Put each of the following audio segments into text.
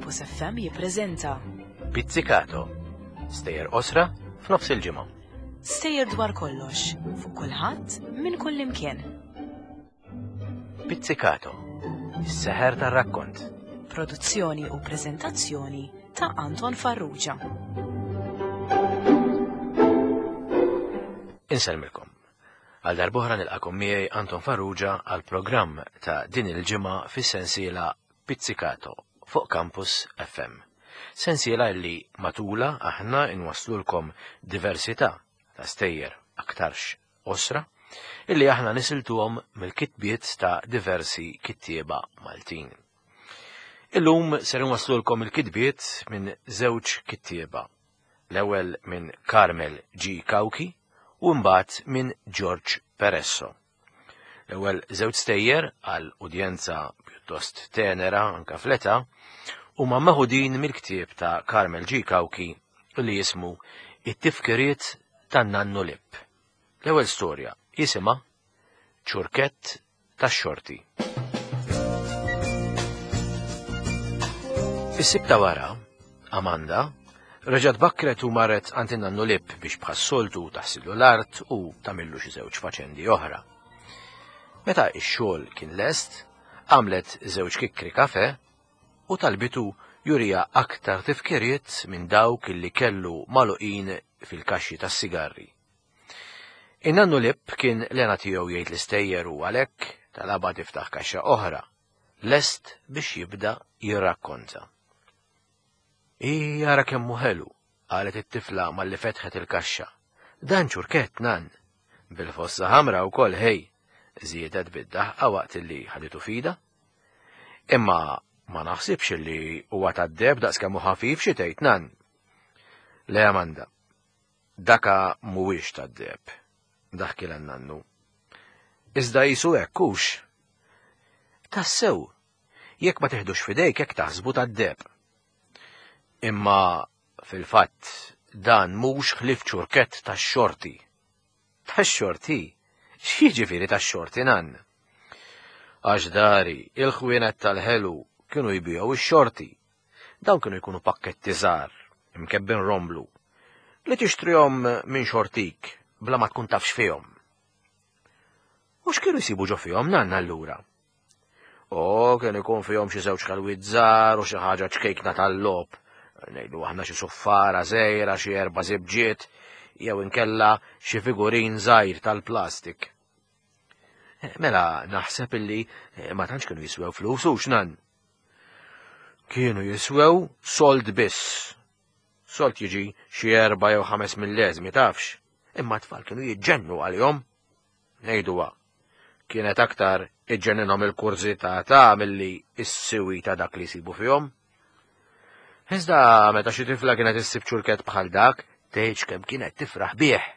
Campus FM jippreżenta Pizzicato, stejjer qosra f'nofs il-ġimgħa. Stejjer dwar kollox, fuq kulħadd, minn kull imkien. Pizzicato, is-seħer tar-rakkont. Produzzjoni u preżentazzjoni ta' Anton Farrugia. Insellmilkom. Għal darb'oħra nilqakom miegħi Anton Farrugia għal programm ta' din il-ġimgħa fis-sensiela Pizzicato fuq Campus FM. Sensiela li matula aħna inwasslulkom diversità ta' stejjer aktarx qosra illi aħna nisiltuhom mill-kitbiet ta' diversi kittieba Maltin. Illum ser inwasslulkom il-kitbiet minn żewġ kittieba l-ewwel minn Carmel G. Cauchi u mbagħad minn George Peresso. L-ewwel żewġ stejjer għal udjenza pjuttost tenera anka fl-età huma meħudin mill-ktieb ta' Carmel G. Cauchi li jismu It-tifkiriet tan-Nannu Lipp. L-ewwel storja jisimha Ċurkett tax-xorti. Is-sibt ta' wara, Amanda, reġgħet bakkret u marret għand in-nannu Lipp biex bħas-soltu taħsillu l-art u tagħmillu xi żewġ faċendi oħra. Meta x-xogħol kien lest, għamlet żewġ kikkri kafe u talbitu jurija aktar tifkiriet minn dawk li kellu magħluqin fil-kaxxi tas-sigarri. In-nannu Lipp kien l-hena tiegħu jgħid l-istejjer u għalhekk talabha tiftaħ kaxxa oħra, lest biex jibda jirrakkonta. Ii ara kemm hu ħelu, qalet it-tifla malli fetħet il-kaxxa. Dan ċurkett, nann. Bil-fossa ħamra wkoll ħej, żiedet bid-daħqa waqt li ħaditu fida. Imma ma naħsibx li huwa tad-deheb daqs kemm hu ħafif xi tgħid nann. Le Amanda, Daka mhuwiex tad-deheb, daħkilha n-nannu. Iżda qisu hekk hux? Tassew, jekk ma tiħdux f'idejk hekk taħsbu tad-deheb. Imma fil-fatt dan mhux ħlief ċurkett tax-xorti. Tax-xorti? X'jiġifieri tax-xorti, nann? Għax dari, il-ħwienet tal-ħelu kienu jbigħu x-xorti. Dawn kienu jkunu pakketti żgħar, imkebbin romblu, li tixtrihom minn xortik bla ma tkun taf x'fihom. U x'kienu jsibu ġo fihom nann allura? O, kien ikun fihom xi żewġ ħelwiet żgħar u xi ħaġa ċkejkna tal-logħob, ngħidu aħna xi suffara żgħira, xi erba' żibġiet, jew inkella xi figurin żgħir tal-plastik. Mela naħseb illi ma tantx kienu jiswew flus hux nan. Kienu jiswew sold biss. Sold jiġi xi erba' jew ħames milleżmi tafx, imma t-tfal kienu jiġġennu għalihom. Ngħiduha, kienet aktar iġġenninhom il-kurżità ta' milli s-siwi ta' dak li jsibu fihom. Iżda meta xi tifla kienet issib ċurkett bħal dak, tgħidx kemm kienet tifraħ bih.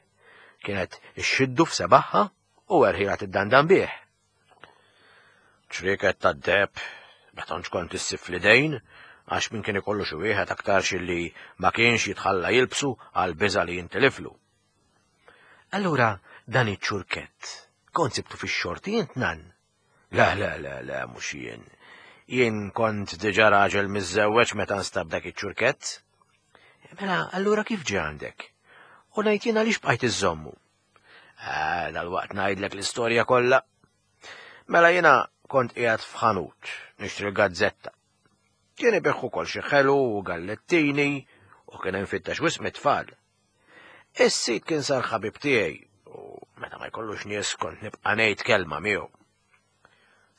Kienet ixxiddu f'sebaħħa u erħilha tiddandan bih. Ċrieket tad-deheb ma tantx kont issib fl-idejn għax min kien ikollu xi wieħed aktarx illi ma kienx jitħalla jilbsu għal biża' li jintiliflu. Allura dan iċ-ċurkett kont sibtu fix-xorti int nan? Le, le, le, le, mhux jien. Jien kont diġà raġel miżżewweġ meta nstab dak iċ-ċurkett. Mela, allura kif ġie għandek? U ngħid jien għaliex bqajt iżżommu? Ah, dal-waqt ngħidlek l-istorja kollha. Mela jiena kont qiegħed f'ħanut nixtri l-gazzetta. Kien ibigħ ukoll xi ħelu u gallettini u kien hemm fittex wisq mit-tfal. Is-sid kien sar ħabib tiegħi u meta ma jkollux nies kont nibqa' ngħid kelma miegħu.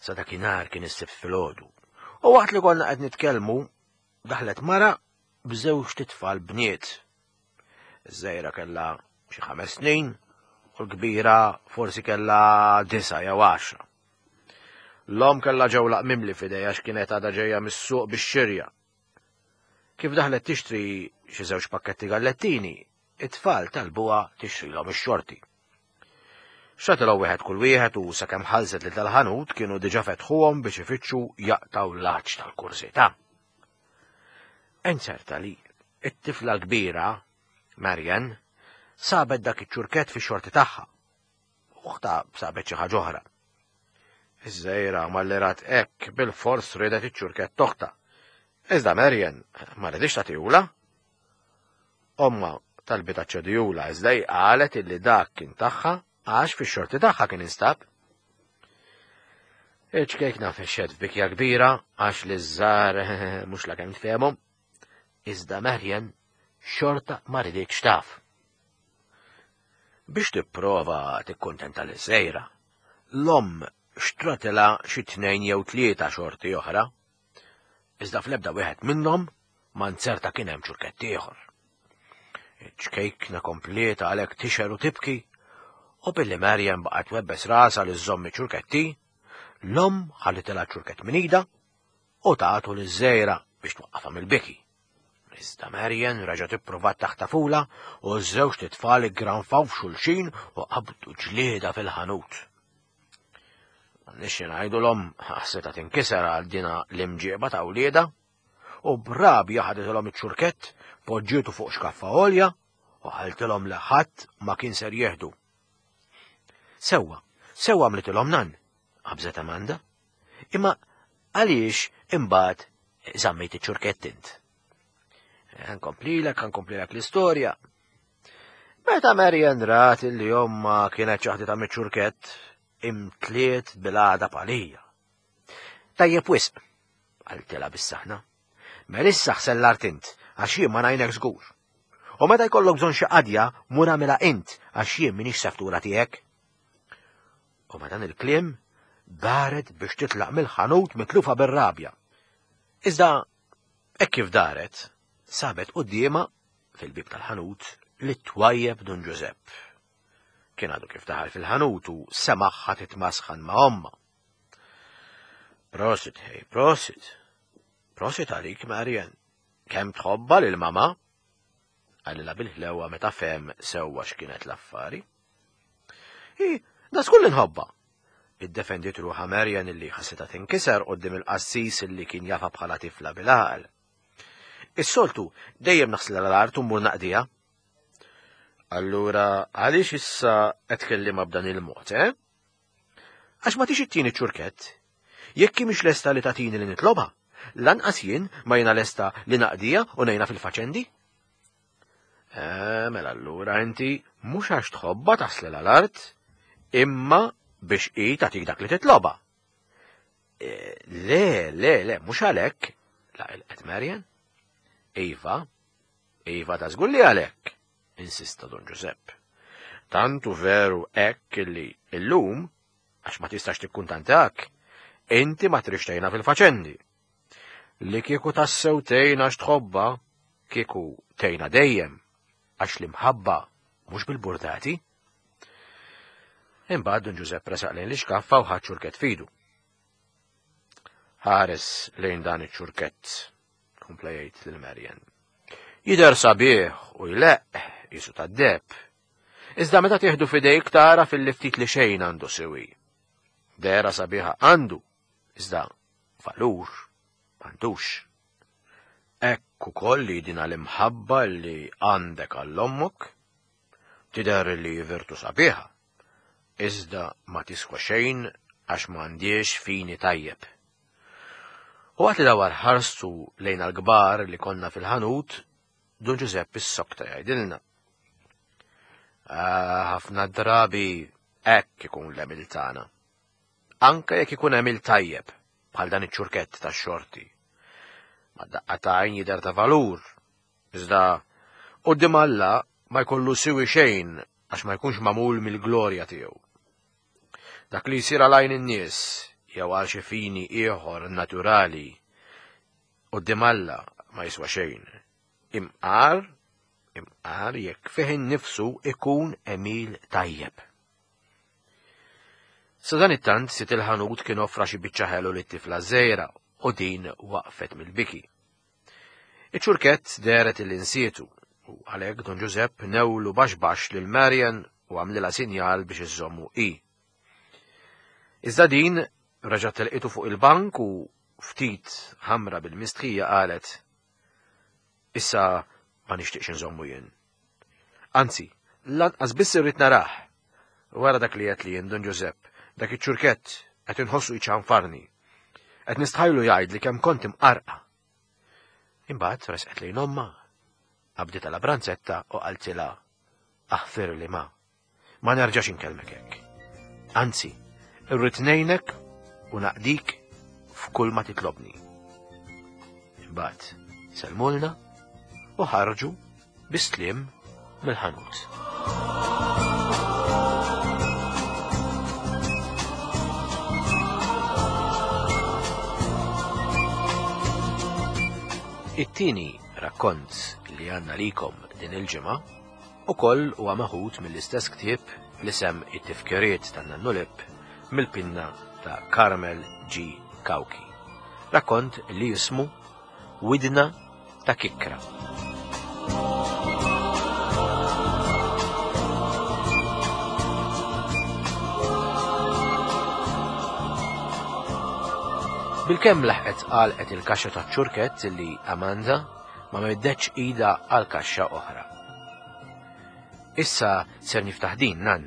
Sa dakinhar kien is-sibt filgħodu. U waqt li konna qed nitkellmu, daħlet mara b'żewġ titfal bniet. Iż-żgħira kellha xi ħames snin u l-kbira forsi kellha disa' jew għaxra. L-omm kellha ġewlaq mimli f'idejha x'kienet għadha ġejja mis-suq bix-xirja. Kif daħlet tixtri xi żewġ pakketti gallettini, it-tfal talbuha tixtrilhom ix-xorti. Xtratilhom wieħed kull wieħed u sakemm ħallset lil tal-ħanut kienu diġà fetħuhom biex ifittxu jaqtgħu l-għatx tal-kurżità. Inzerta li t-tifla l-kbira, Marian, sabet dak iċ-ċurkett fix-xorti tagħha. Uħta sabet xi ħaġa oħra. Iż-żgħira malli rat hekk bil-fors riedet iċ-ċurkett toħta. Iżda Marian ma ridix tagħtihulha. Omma talbitha ċċedihulha iżda hi qalet illi dak kien tagħha għax fix-xorti tagħha kien instab. Iċ-ċkejkna fexxet f'bikja kbira għax li żżar mhux la kemm tfehmhom. Iżda Marian xorta ma riditx taf. Biex tipprova tikkuntenta liż-żgħira, l-omm xtratilha xi tnejn jew tlieta xorti oħra. Iżda fl-ebda wieħed minnhom ma nzerta kien hemm ċurkett ieħor. Iċ-ċkejkna kompliet għalhekk tixher u tibki, u billi Marian baqgħet twebbes rasha li żżomm iċ-ċurketti, l-omm ħallitilha ċ-ċurkett minn idha u tagħtu liż-żgħira biex twaqqafha mill-biki. Iżda Marian reġgħet ippruvat taħtafula u ż-żewġt itfal iggranfaw f'xulxin u qabdu ġlieda fil-ħanut. Nixxi ngħidulhom ħassitha tinkiser għal dina l-imġieba ta' wliedha u b'rabja ħaditilhom iċ-ċurkett, poġġietu fuq xkaffa għolja u ħaltilhom li ħadd ma kien ser jieħdu. Sewwa, sewwa għamlitilhom nan, qabżet Amanda. Imma għaliex imbagħad żammejt iċ-ċurkett int? Nkomplilek, nkomplilek l-istorja. Meta Marian rat li omma kienet ċaħditha miċ-ċurkett, imtliet bil-għada palija. Tajjeb wisq, qaltilha bis-saħna. Melissa ħsel l-art int, għax jien ma ngħinek żgur. U meta jkollok bżonn xi qadja, mur agħmilha int, għax jien m'iniex seftura tiegħek. U ma dan il-kliem daret biex titlaq mill-ħanut mitlufa bir-rabja. Iżda hekk kif daret, sabet quddiemha fil-bib tal-ħanut li twajjeb Dun Ġużepp. Kien għadu kif daħal fil-ħanut u semaħħa titmasħan ma' omma. Prosit, hej, prosit. Prosit għalik, Marian. Kemm tħobba lil mama? Qalilha bil-ħlewa meta fehem sewwa x'kienet l-affari. Hi, da żgur li nħobbha. Iddefendiet ruħha Marian illi ħassitha tinkiser quddiem il-qassis illi kien jafha bħala tifla bil-għaqal. Is-soltu dejjem naħsilha l-art u mmur naqdiha. Allura għaliex issa qed tkellimha b'dan il-mod, eh? Għax ma tix ittini ċurkett. Jekk hi mhix lesta li tagħtini li nitlobha, lanqas jien ma jiena lesta li naqdija u ngħinha fil-faċendi. Eh, mela allura inti mhux għax tħobbha taħslilha l-art, imma biex hi tagħtik dak li titlobha. Eh, le, le, le, mhux għalhekk, laqilqet Marian. Iva, iva ta' żgur li għalhekk, insista Don Giuseppe. Tantu veru hekk li illum, għax ma tistax tikkuntantak, inti ma trix tgħinha fil-faċendi. Li kieku tassew tgħinha għax tħobbha, kieku tgħinha dejjem, għax l-imħabba mhux bil-burdati. Imbagħad Dun Ġużepp resaq lejn l-ixkaffa u ħa ċurkett fidu. Ħares lejn dan iċ-ċurkett, kompla jgħid lil Marian. Jidher sabiħ u jleqq jisu tad-deb. Iżda meta tieħdu f'idejk tara fil-ftit li xejn għandu siwi. Dera sabiħa għandu, iżda valur m'għandux. Hekk ukoll li dina l-imħabba li għandek għall-ommok tidher li virtu sabiħa, iżda ma tiswa xejn għax m'għandiex fini tajjeb. U waqt li dawar ħarstu lejn għall-kbar li konna fil-ħanut, Dun Ġużepp issokta jgħidilna. Ah, ħafna drabi hekk ikun l-għemil tagħna. Anke jekk ikun għemil tajjeb, bħal dan iċ-ċurkett tax-xorti. Ma daqqa ta' għajn jidher ta' valur, iżda quddiem Alla ma jkollu siwi xejn għax ma jkunx magħmul mill-glorja tiegħu. Dak li jsir għal għajn in-nies jew għal xi fini ieħor naturali quddiem Alla ma jiswa xejn. Imqar, imqar jekk fih innifsu ikun għemil tajjeb. Sadanittant sid il-ħanut kien offra xi biċċa ħelu lit-tifla żgħira u din waqfet mill-biki. Iċ-ċurkett dehret illi nsietu u għalhekk Dun Ġużepp newlu baxx baxx lil Marian u għamlilha sinjal biex iżżommu hi. Iżda din reġgħet telqitu fuq il-bank u ftit ħamra bil-mistħija qalet Issa ma nixtieqx inżommu jien. Anzi, lanqas biss irrid narah. Wara dak li għedt li jien Dun Ġużepp, dak iċ-ċurkett qed inħossu jċanfarni. Qed nistħajlu jgħidli kemm kont imqarqa. Imbagħad resqet lejn ommha, qabditha la branzetta u qaltilha aħfirli ma. Ma nerġax inkellmek hekk. Anzi, irrid ngħinek u naqdik f'kull ma titlobni. Imbagħad sellmulna u ħarġu bis-sliem mill-ħanut. It-tieni rakkont li għandna likom din il-ġimgħa ukoll huwa meħud mill-istess ktieb bl-isem It-Tifkiriet tan-Nannu Lipp mill-pinna ta' Carmel G. Cauchi. Rakkont li jismu Widna ta' Kikkra. Bilkemm laħqet għalqet il-kaxxa taċ-ċurkett li Amanda ma meddetx idha għal kaxxa oħra. Issa ser niftaħ din, nan,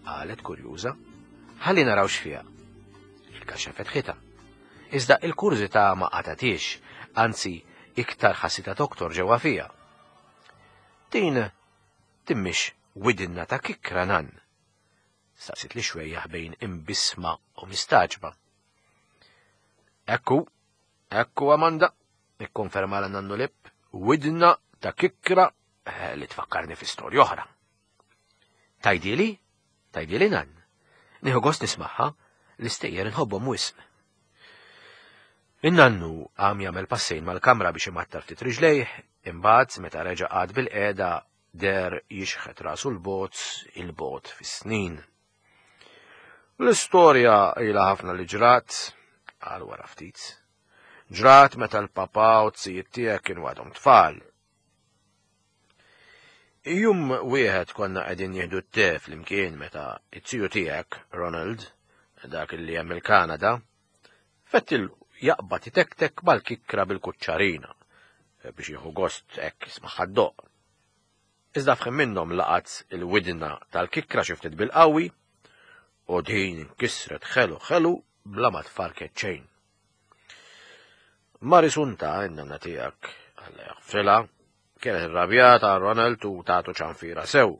qalet kurjuża. Ħalli naraw x'fiha. Il-kaxxa fetħitha. Iżda il-kurżità ma qatgħethiex, anzi iktar ħassitha toktor ġewwa fiha. Din din mhix widinna ta' kikkra nan? Staqsiet li xwejjaħ bejn imbissma u mistagħġba. Ekku, ekku Amanda, ikkonferma l nannu Lip, widna ta' kikkra eh, li tfakkarni fi storja oħra. Tajdili? Tajdili nan? Nieħu gost nismagħha, l-istejjer inħobbhom wisq. In-nannu qam jagħmel passejn mal-kamra biex imattar ftit riġlejh, imbagħad meta reġa' qagħad bil-qiegħda deher jixħet rasu l-bogħod il-bogħod fis-snin. L-istorja ilha ħafna li ġrat, qal wara ftit. Ġrat meta l-papà u t-sijiet tiegħek kienu għadhom tfal. Jum wieħed konna qegħdin nieħdu t-te flimkien meta it-tiju tiegħek, Ronald, dak li hemm il-Kanada, fettil jaqbad itektek mal-kikkra bil-kuċċarina biex jieħu gost hekk jismagħha ddoqq. Iżda f'ħin minnhom laqat il-widna tal-kikkra xi ftit bil-qawwi u din inkisret ħelu ħelu bla ma tfarket xejn. Marisunta, in-nanna tiegħek, Alla jaħfrilha, kienet irrabjata għal Ronald u tagħtu ċanfira sew.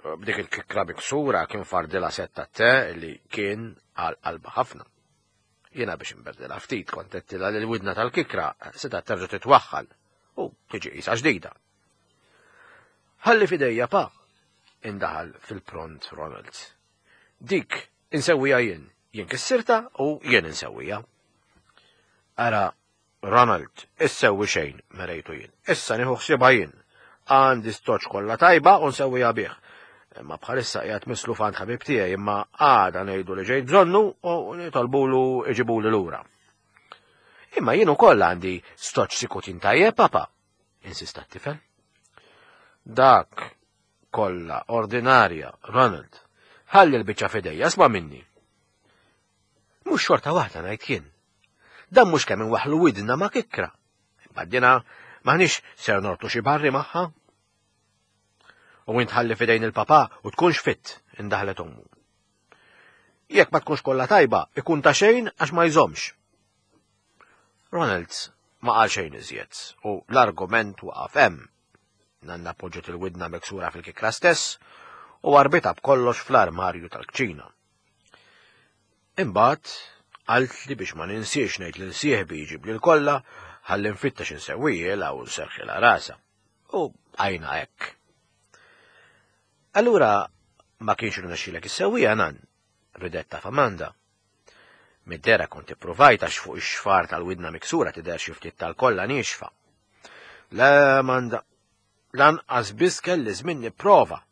B'dik il-kikra miksura kien fardilha sett tat-te li kien għal qalbha ħafna. Jiena biex inberdilha ftit kont għedtilha li l-widna tal-kikra setgħet terġa' titwaħħal u tiġi qisha ġdida. Ħalli f'idejja pa, indaħal fil-pront Ronald. Dik insewwija jien, jien kissirta u jien insewwija. Ara, Ronald, issewwi xejn, merejtu jien. Issa nieħu ħsiebha jien. Għandi stoċ kollha tajba u nsewwiha bih. Imma bħalissa qiegħed misluf għand ħabib tiegħi imma għada ngħidu li ġejt bżonnu u nitolbulu iġibuli lura. Imma jien ukoll għandi stoċ sikutin tajjeb, papa, insista t-tifel. Dak kollha ordinarja, Ronald. Ħalli l-biċċa f'idejja, isma' minni. Mhux xorta waħda ngħid jien. Dan mhux kemm inwaħħlu widna ma' kikkra. Imma dina m'aħniex ser nortu xi barri magħha. U int ħalli fidejn il-papà u tkunx fitt, indaħlet ommu. Jekk ma tkunx kollha tajba, ikun ta' xejn għax ma jżommx. Ronald ma qal xejn iżjed u l-argument waqaf hemm. Nanna poġġet il-widna miksura fil-kikra stess u warbitha b'kollox fl-armarju tal-kċina. Imbagħad qaltli biex ma ninsiex ngħid lil sieħbi jġibli l-kolla ħalli nfittex insewwielha u nserħilha rasha. U bqajna hekk. Allura ma kienx irnexxielek issewwiha nan, ridet taf Amanda. Mid-dera kont ippruvajt għax fuq ix-xfar tal-widna miksura tidher xi ftit tal-kolla niexfa. Le, Amanda, lanqas biss kelli żmien nipprova.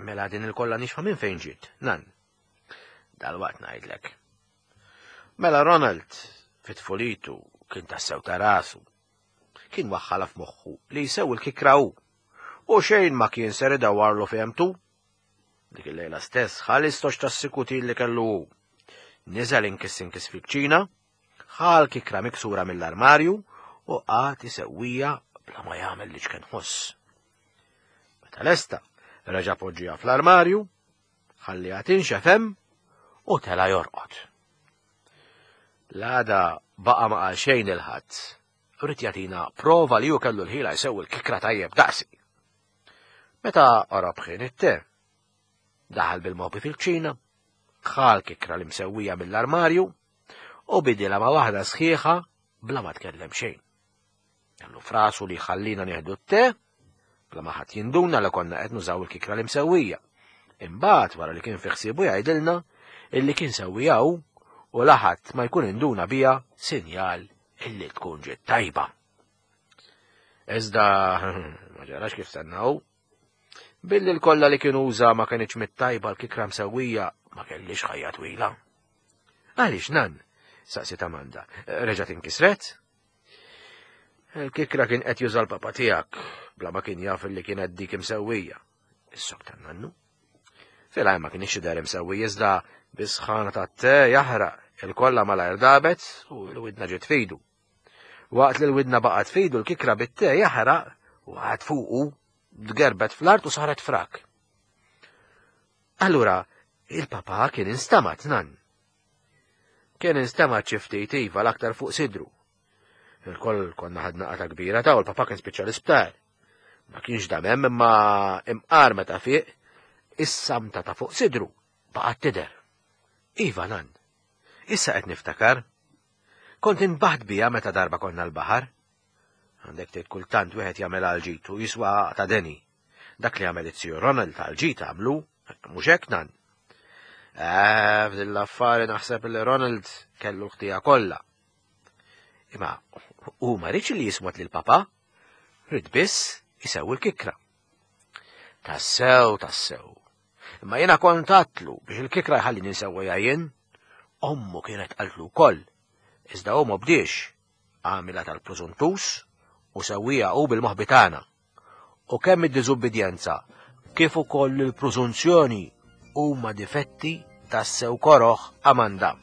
Mela din il-kolla nixfa minn fejn ġiet, nan. Dal-waqt ngħidlek. Mela Ronald, fit-tfulitu, kien tassew ta' rasu. Kien waħħala f'moħħu li jsew il-kikra hu. U xejn ma kien ser idawwarlu fehmtu. Dik il-lejla stess ħa l-istoċ tas-sikutin li kellu hu. Niżel inkiss inkiss fil-kċina, ħa l-kikra miksura mill-armarju u qagħad isewwija bla ma jagħmel li ċken ħoss. Meta lesta, reġa' poġġiha fl-armarju, ħalliha tinxef hemm u tela' jorqod. L-għada baqa' ma qal xejn lil ħadd. Ried jagħtina prova li hu kellu l-ħila jsewwi l-kikra tajjeb daqsi. Meta qorob ħin it-te, daħal bil-mobi fil-kċina, ħa l-kikra li msewwija mill-armarju u bidilha ma' waħda sħiħa bla ma tkellem xejn. Kellu frasu li jħallina nieħdu t-te, bla ma ħadd jinduna li konna qed nużaw il-kikra li msewwija. Imbagħad wara li kien fi ħsiebu jgħidilna illi kien sewwija hu u laħat ma jkun induna bija sinjal illi tkun ġiet tajba. Iżda ma ġarax kif stennaw. Billi l-kolla li kien uża ma kienx mit-tajba l-kikra msewwija ma kellix ħajja twila. Għaliex nan? saqsiet Amanda. Reġgħet inkisret? Il-kikra kien qed juża l-papa tiegħek bla ma kien jaf li kienet dik imsewwija. Is-sok tan-nannu. Filgħaj ma kienx jidher imsewwi iżda bis-sħana tat-te jaħraq il-kolla malajr dabet u l-widna ġiet fidu. Waqt li l-widna baqgħet fidu l-kikra bit-te jaħraq u għad fuqu tgerbet fl-art u saret frak. Allura, il-papa kien instamat nan. Kien instamat xi ftit iva l-aktar fuq sidru. Il-koll konna ħadna qata kbira ta' u l-papa kien spiċċa l-isptar. Ma kienx dam hemm imma imqar meta fiq, is-samta ta' fuq sidru baqgħet tidher. Iva nan, issa qed niftakar. Kont inbaħt bija meta darba konna l-baħar. Għandek tgħid kultant wieħed jagħmel għal ġid u jiswa ta' deni. Dak li għamel it-Sir Ronald għal ġid għamlu, mhux hekk nan. Eh, f'din l-affari naħseb li Ronald kellu l-ħtija kollha. Imma hu ma rridx li jismot lil papa, rid biss isewwi l-kikra. Tassew, tassew. Imma jiena kont għatlu biex il-kikra jħallini nsewwiha jien. Ommu kienet qaltlu wkoll, iżda hu ma bdiex, għamilha tal-prużuntus u sewwieha hu bil-moħbi tagħna. U kemm id-diżubbidjenza kif ukoll il-prużunzjoni huma difetti tassew koroh Amanda.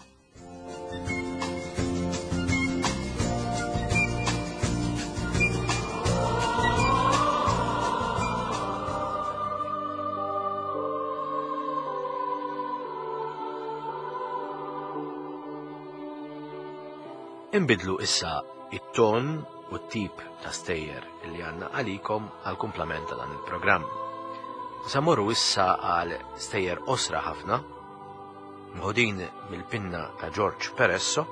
Inbidlu issa it-ton u t-tip ta' stejjer li għandna għalikom għal kumplament ta' dan il-programm. Sa morru issa għal stejjer osra ħafna, mħudin mill-pinna ta' George Peresso,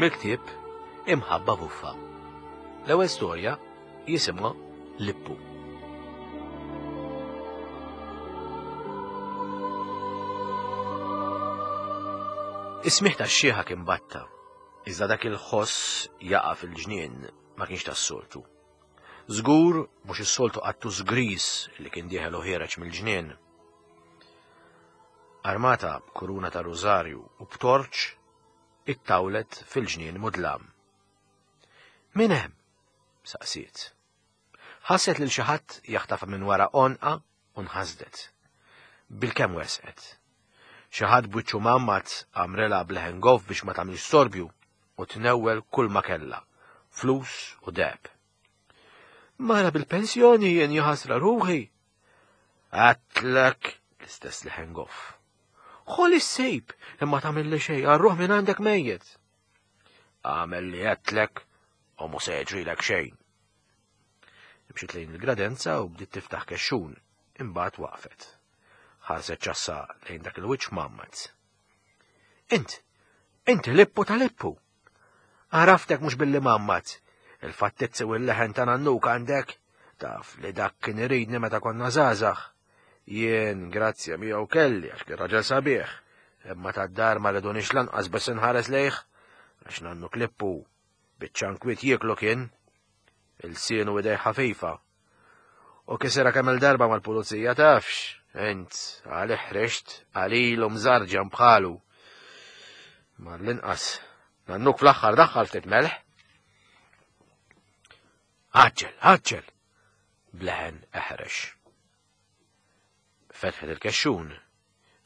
mill-ktieb Imħabba Buffa. L-ewwel storja jisimha Lippu. Is-smigħ tax-xieħa kien batta, iżda dak il-ħoss jaqa' fil-ġnien ma kienx tas-soltu. Żgur mhux is-soltu qattus griż li kien dieħel u ħiereġ mill-ġnien. Armata b'kuruna ta' rużarju u b'torċ, ittawlet fil-ġnien mudlam. Min hemm? saqsiet. Ħasset lil xi ħadd jaħtafha minn wara għonqha u nħasdet. Bilkemm wesqet. Xi ħadd b'wiċċu mgħammad għamrilha b'leħen goff biex ma tagħmilx storbju u tnewwel kull ma kellha, flus u deheb. Mara bil-pensjoni jien jaħasra ruħi. Għatlek l-istess leħen goff. Ħol is-sejb imma tagħmilli xejn għarruħ minn għandek mejjet. Għamel li għedtlek u mhu se jiġrilek xejn. Imxiet lejn il-gradenza u bdiet tiftaħ kexxun, imbagħad waqfet. Ħarset ċassa lejn dak il-wiċċ mgħammad. Int, inti lippu ta' lippu. Għaraftek mhux billi mgħammad. Il-fattizzi u l-leħen ta' nannuk għandek, taf li dak kien iridni meta konna żgħażagħ. Jien, grazzja miegħu kelli għax kien raġel sabiħ, imma tad-dar ma ridunix lanqas biss inħares lejh, għax nannu klippu biċċa nkwiet jieklu kien. Il-sienu idej ħafifa. U kisira kemm il-darba mal-pulizija tafx, int għalih ħrixt għalilu mżarġan bħalu. Mar l-inqas, nannuk fl-aħħar daħħal ftit melħ. Għaġġel, għaġġel! Bleħen eħrex. Fetħet il-kexxun,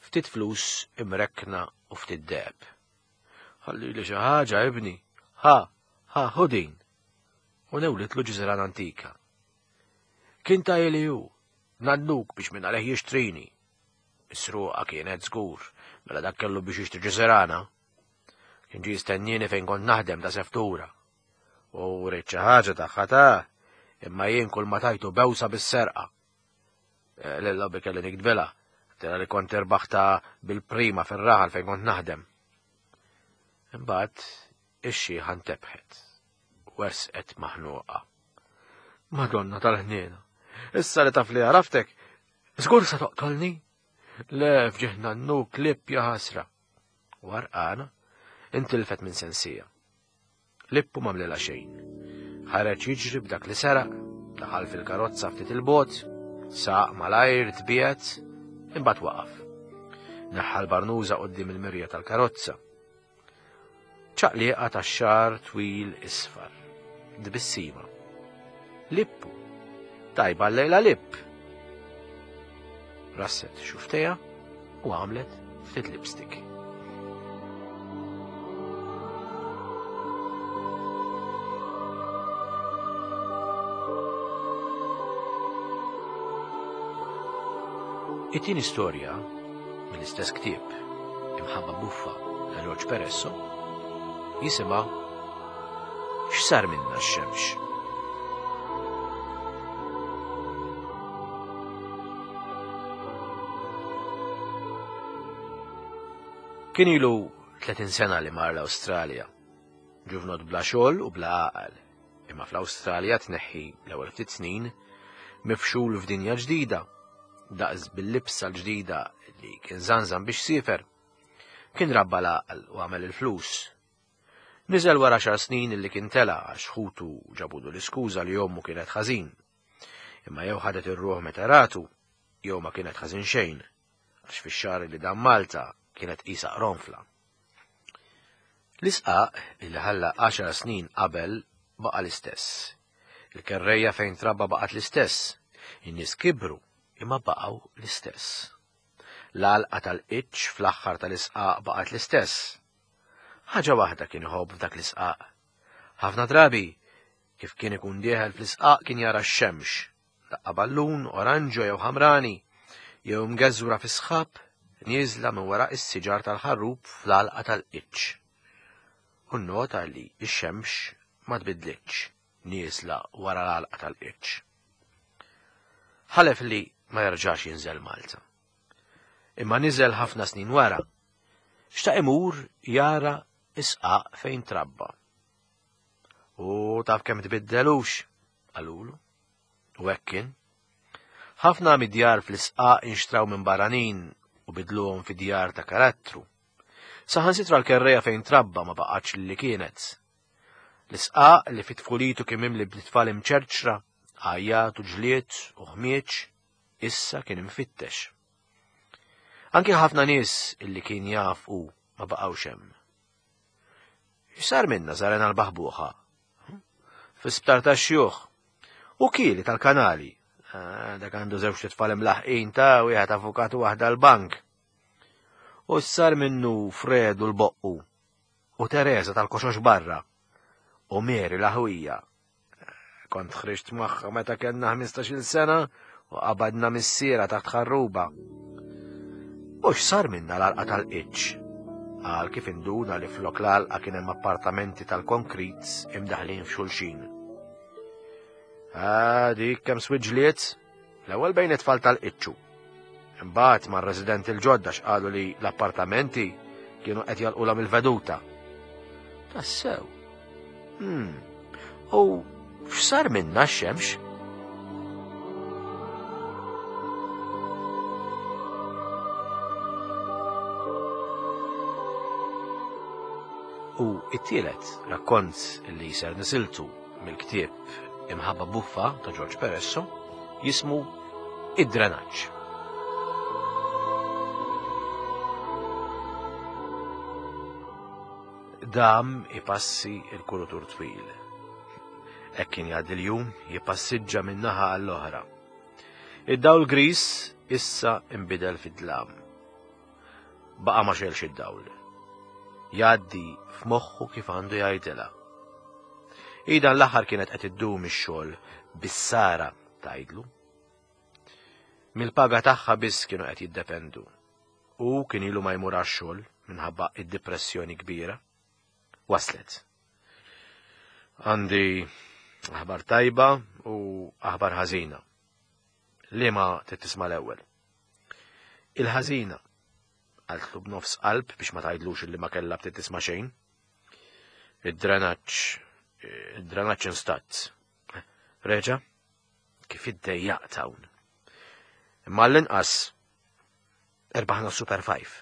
ftit flus imrekkna u ftit deheb. Ħalli li xi ħaġa ibni, ħa, ħa, ħu din. U newlitlu ġiżran antika. Kien ta' li hu, nannuk biex minn għalih jixtrini. Misruqa kienet żgur, mela dak kellu biex jixtri ġiżirana. Kien ġie jistennieni fejn kont naħdem ta' seftura. U rrid xi ħaġa tagħha ta' imma jien kull ma tajtu bewsa bis-serqa. Eh, Lil lobby kelli nikdbilha, tira li kont irbaħta bil-prima fir-raħal fejn kont naħdem. Imbagħad ix-xiħa ntebħet, wersqet maħnuqa. Madonna tal-ħniena, issa li taf li għaraftek, żgur sa toqtolni? Le fġieħna nnu klib ja ħasra. Warqana, intilfet minn sensija. Lippu m'għamlilha xejn. Ħareġ jiġri b'dak li seraq, daħal fil-karozza ftit il-bot, saq malajr tbiegħed, imbagħad waqaf. Neħħa l-barnuża quddiem il-mirja tal-karozza. Ċaqliqa ta' xar twil isfar. Tbissima. Lippu. Tajba l-lejla lipp. Rasset xuftejha u għamlet ftit lipstick. It-tieni storja mill-istess ktieb Imħabba Buffa ta' George Peresso jisimha X'sar minna x-xemx? Kien ilu 30 sena li mar l-Awstralja. Ġuvnot bla xogħol u bla għaqal. Imma fl-Awstralja tneħħi l-ewwel ftit snin mifxul f'dinja ġdida, daqs bil-libsa l-ġdida li kien żanżan biex siefer. Kien rabba l-għaqal u għamel il-flus. Niżel wara xar snin li kien tela għax ħutu ġabudu l-iskuża li ommu kienet ħażin. Imma jew ħadet ir-ruħ meta ratu, jew ma kienet ħażin xejn, għax fix-xahar li dam Malta kienet qisha qronfla. L-isqaq li ħalla għaxar snin qabel baqa' l-istess. Il-kerrejja fejn trabba baqgħet l-istess. In-nies kibru imma baqgħu l-istess. L-għalqa tal-qiċċ fl-aħħar tal-isqaq baqgħet l-istess. Ħaġa waħda kien iħobb f'dak l-isqaq. Ħafna drabi, kif kien ikun dieħel fl-isqaq kien jara x-xemx, daqqa ballun, oranġo jew ħamrani, jew mgeżwra fi sħab nieżla minn wara is-siġar tal-ħarrub fl-għalqa tal-qiċċ. U nnota li x-xemx ma tbidlitx nieżla wara l-għalqa tal-qiċċ. Ħalef li ma jerġax jinżel Malta. Imma niżel ħafna snin wara Xtaq imur jara isqaq fejn trabba. U taf kemm tbiddelux, qalulu. U hekk kien. Ħafna mid-djar fl-isqaq inxtraw minn barranin u bidluhom fi djar ta' karattru. Saħansitra l-kerreja fejn trabba ma baqgħetx li kienet. L-isqaq li fit-tfulitu kien mimli b'tfal imċerċra, għajjat u ġlied u ħmieġ, issa kien imfittex. Anki ħafna nies illi kien jaf u ma baqgħux hemm. X'sar minna Zarena l-baħbuħa? Fi sptar ta' xjuħ. U kieli tal-kanali. Ah, dak għandu żewġ tfal imlaħqin ta' wieħed avukat u waħda l-bank. U sar minnu Fredu l-boqqu. U Teresa tal-koxox barra. U Mary l-aħwija. Kont ħriġt magħha meta kellna 15-il sena u qabadna missiera taħt ħarruba. U x'sar minna l-għalqa tal-qiċ? Qal kif induna li flok l-għalqa kien hemm appartamenti tal-konkrit imdaħlin f'xulxin. Ah, dik kemm swiġliet? L-ewwel bejn it-tfal tal-qiċċu. Imbagħad mar-residenti l-ġodda x'qalu li l-appartamenti kienu qed jalqulhom il-veduta. Tassew. Hmm. U x'sar minna x-xemx? U it-tielet rakkont li ser nisiltu mill-ktieb Imħabba Buffa ta' George Peresso jismu Id-drenaġġ. Dam ipassi il-kurutur twil. Hekk kien jgħaddi l-jum jippassiġġa minn naħa għall-oħra. Id-dawl gris issa imbidel fid-dlam. Baqa' ma xelx id-dawl. Jgħaddi f'moħħu kif għandu jgħidilha. Hi dan l-aħħar kienet qed iddum ix-xogħol bis-sara tgħidlu. Mill-paga tagħha biss kienu qed jiddependu. U kien ilu ma jmur għax-xogħol minħabba id-dipressjoni kbira. Waslet. Għandi aħbar tajba u aħbar ħażina. Liema trid tisma' l-ewwel? Il-ħażina, qaltlu b'nofs qalb biex ma tgħidlux illi ma kellha btiet tisma' xejn. Id-drenaġġ, id-drenaġġ instat. Reġa', kif iddejjaqt hawn. Imma l-inqas erbaħna Super 5.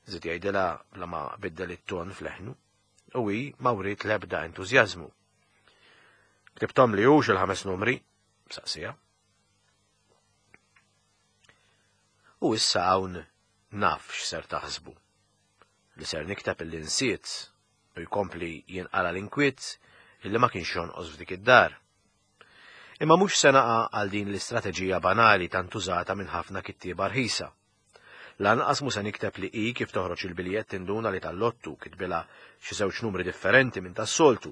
Żied jgħidilha bla ma biddel it-ton f'leħnu u hi ma wriet l-ebda entużjażmu. Ktibtom li hux il-ħames numri, saqsija. U issa hawn naf x'ser taħsbu. Li ser nikteb illi nsiet u jkompli jinqala l-inkwiet illi ma kienx jonqos f'dik id-dar. Imma mhux se naqa' għal din l-istrateġija banali tant użata minn ħafna kittieba rħisa. Lanqas mhu se nikteb li hi kif toħroġ il-biljett tinduna li tal-lottu kitbilha xi żewġ numri differenti minn tas-soltu.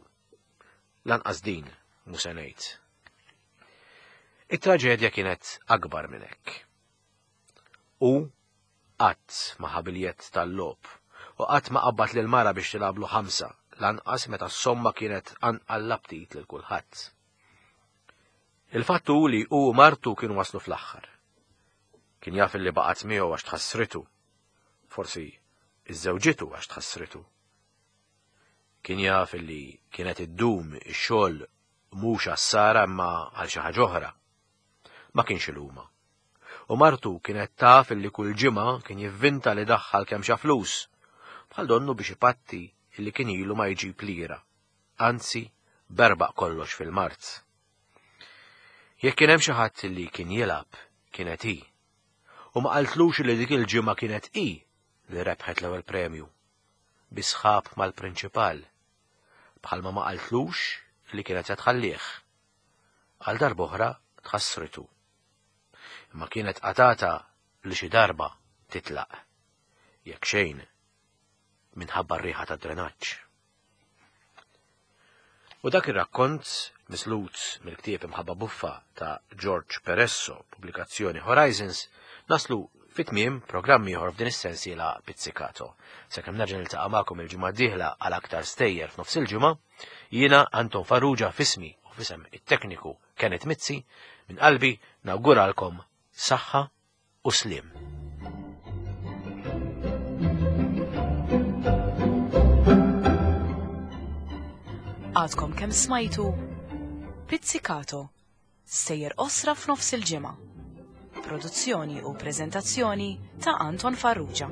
Lanqas din mhu se ngħid. It-traġedja kienet akbar minn hekk. Hu qatt ma ħa biljett tal-logħob u qatt ma qabbad lil mara biex tilgħablu ħamsa, lanqas meta s-somma kienet tqanqal l-aptit lil kulħadd. Il-fatt hu li hu u martu kienu waslu fl-aħħar. Kien jaf li baqgħet miegħu għax tħassritu. Forsi iżżewġitu għax tħassritu. Kien jaf li kienet iddum ix-xogħol mhux għas-Sara imma għal xi ħaġa oħra. Ma kienx iluma. U martu kienet taf illi kull ġimgħa kien jivvinta li daħħal kemm xa flus, bħal donnu biex ipatti illi kien ilu ma jġib lira, anzi berbaq kollox fil-mard. Jekk kien hemm xi ħadd illi kien jilgħab, kienet hi. U ma qaltlux li dik il-ġimgħa kienet hi li rebħet l-ewwel premju. Bi sħab mal-prinċipal. Bħalma ma qaltlux li kienet se tħallih. Għal darb'oħra tħassritu. Imma kienet qatata li xi darba titlaq. Jekk xejn, minħabba r-riħa tad-drenaġġ. U dak ir-rakkont, mislut mill-ktieb Imħabba Buffa ta' George Peresso, pubblikazzjoni Horizons, naslu fi tmiem programm ieħor f'din is-sensiela Pizzicato. Sakemm nerġa' niltaqa' magħkom il-ġimgħa d-dieħla għal aktar stejjer f'nofs il-ġimgħa, jiena Anton Farrugia f'ismi u f'isem it-tekniku Kenneth Mizzi, minn qalbi nawguralkom saħħa u sliem. Għadkom kemm smajtu Pizzicato, sejjer osra f'nofs il-ġimgħa. Produzzjoni u preżentazzjoni ta' Anton Farrugia.